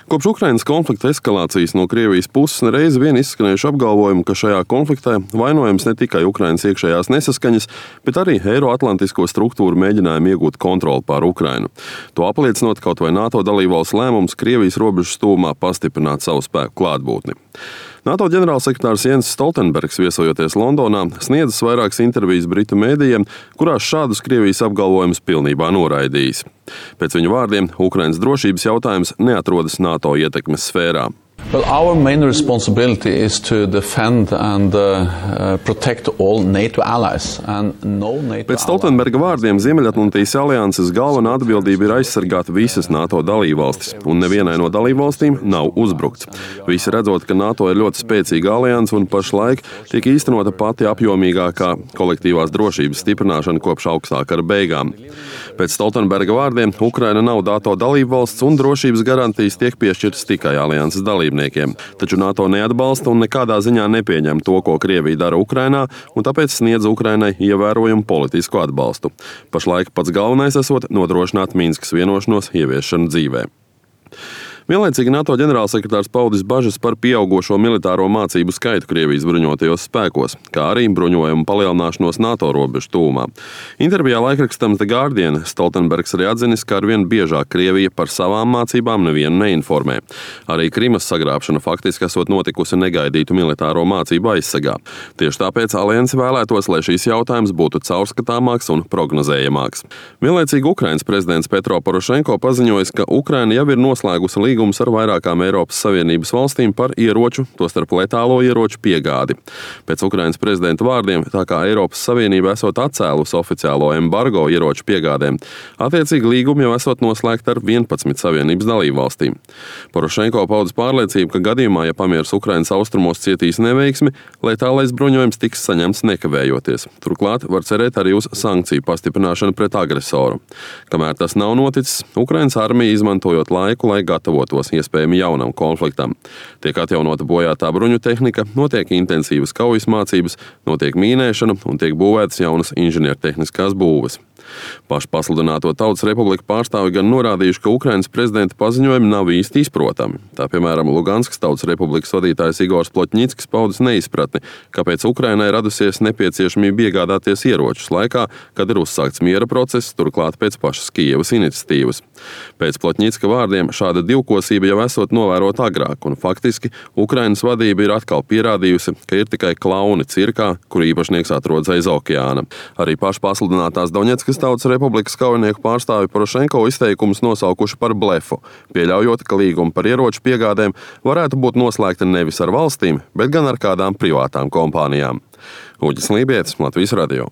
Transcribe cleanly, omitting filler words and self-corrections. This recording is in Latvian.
Kopš Ukrainas konflikta eskalācijas no Krievijas puses nereiz vien izskanējuši apgalvojumi, ka šajā konfliktā vainojams ne tikai Ukrainas iekšējās nesaskaņas, bet arī eiroatlantisko struktūru mēģinājumi iegūt kontroli pār Ukrainu. To apliecinot kaut vai NATO dalībvalsts lēmums Krievijas robežas tuvumā pastiprināt savu spēku klātbūtni. NATO ģenerālsekretārs Jens Stoltenbergs, viesojoties Londonā, sniedzis vairākas intervijas britu mēdījiem, kurās šādus Krievijas apgalvojumus pilnībā noraidījis. Pēc viņa vārdiem, Ukrainas drošības jautājums neatrodas NATO ietekmes sfērā. Well, our main responsibility is to defend and protect all NATO allies. And no NATO Pēc Stoltenberga vārdiem Ziemeļatlantijas alianses galvenā atbildība ir aizsargāt visas NATO dalībvalstis, un nevienai no dalībvalstīm nav uzbrukts. Visi redzot, ka NATO ir ļoti spēcīga alianse un pašlaik tiek īstenota pati apjomīgākā kolektīvās drošības stiprināšana kopš augstā kara beigām. Pēc Stoltenberga vārdiem Ukraina nav NATO dalībvalsts un drošības garantijas tiek piešķirtas tikai alianses dalībniekiem. Taču NATO neatbalsta un nekādā ziņā nepieņem to, ko Krievija dara Ukrainā, un tāpēc sniedz Ukrainai ievērojumu politisku atbalstu. Pašlaik pats galvenais esot nodrošināt Minskas vienošanos ieviešanu dzīvē. Vienlaicīgi NATO ģenerālsekretārs paudis bažas par pieaugošo militāro mācību skaitu Krievijas bruņotajos spēkos, kā arī bruņojumu palielināšanos NATO robežu tuvumā. Intervijā laikrakstam The Guardian Stoltenbergs arī atzinis, ka arvien biežāk Krievija par savām mācībām nevienu neinformē. Arī Krimas sagrābšana faktiski esot notikusi negaidītu militāro mācību aizsegā. Tieši tāpēc alianse vēlētos, lai šīs jautājums būtu caurskatāmāks un prognozējamāks. Vienlaicīgi Ukrainas prezidents Petro Porošenko paziņojis, ka Ukraina jau ir noslēgusi līgums ar vairākām Eiropas Savienības valstīm par ieroču, tostarp letālo ieroču piegādi. Pēc Ukrainas prezidenta vārdiem, tā kā Eiropas Savienība esot atcēlusi oficiālo embargo ieroču piegādēm, attiecīgi līgumi jau esot noslēgti ar 11 Savienības dalībvalstīm. Porošenko paudis pārliecību, ka gadījumā, ja pamieris Ukrainas austrumos cietīs neveiksmi, letālais bruņojums tiks saņemts nekavējoties. Turklāt var cerēt arī uz sankciju pastiprināšanu pret agresoru. Kamēr tas nav noticis, Ukrainas armija izmantojot laiku, lai gatavotos iespējami jaunam konfliktam. Tiek atjaunota bojātā bruņu tehnika, notiek intensīvas kaujas mācības, notiek mīnēšana un tiek būvētas jaunas inženiertehniskās būves. Pašpasludināto Tautas Republiku pārstāvi gan norādījuši, ka Ukrainas prezidenta paziņojumi nav īsti izprotami. Tā, piemēram, Luganskas Tautas Republikas vadītājs Igors Plotņickis paudis neizpratni, kāpēc Ukrainai radusies nepieciešamība iegādāties ieročus laikā, kad ir uzsākts miera process, turklāt pēc pašas Kijevas iniciatīvas. Pēc Plotņicka vārdiem šāda divkosība jau esot novērota agrāk, un faktiski Ukrainas vadība ir atkal pierādījusi, ka ir tikai klauni cirkā, kur īpašnieks atrodas aiz okeāna. Arī pašpasludinātās Doņetskas Tautas Republikas kaujinieku pārstāvi Porošenko izteikumus nosaukuši par blefu, pieļaujot, ka līgumi par ieroču piegādēm varētu būt noslēgti nevis ar valstīm, bet gan ar kādām privātām kompānijām. Uģis Lībietis, Latvijas radio.